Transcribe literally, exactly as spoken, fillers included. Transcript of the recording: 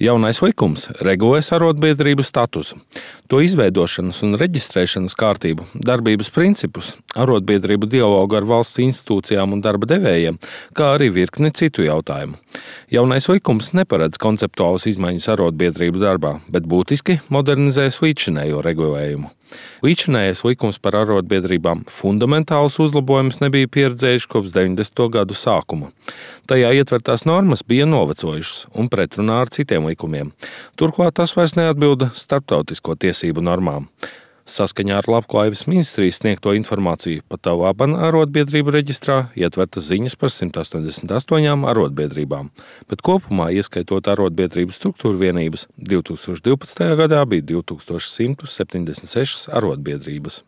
Jaunais likums regulēs arotbiedrību statusu, to izveidošanas un reģistrēšanas kārtību, darbības principus, arotbiedrību dialogu ar valsts institūcijām un darba devējiem, kā arī virkni citu jautājumu. Jaunais likums neparedz konceptuālas izmaiņas arotbiedrību darbā, bet būtiski modernizēs līdzšinējo regulējumu. Līdzšinējais likums par arotbiedrībām fundamentālus uzlabojumus nebija pieredzējuši kopš deviņdesmito gadu sākuma. Tajā ietvertās normas bija novecojušas un pretrunā ar citiem likumiem. Turklāt tas vairs neatbilda starptautisko tiesību normām. Saskaņā ar Labklājības ministrijas sniegto informāciju pat laban arotbiedrību reģistrā ietvertas ziņas par simt astoņdesmit astoņām arotbiedrībām, bet kopumā, ieskaitot arotbiedrību struktūru vienības, divi tūkstoši divpadsmitajā gadā bija divi tūkstoši simt septiņdesmit sešas arotbiedrības.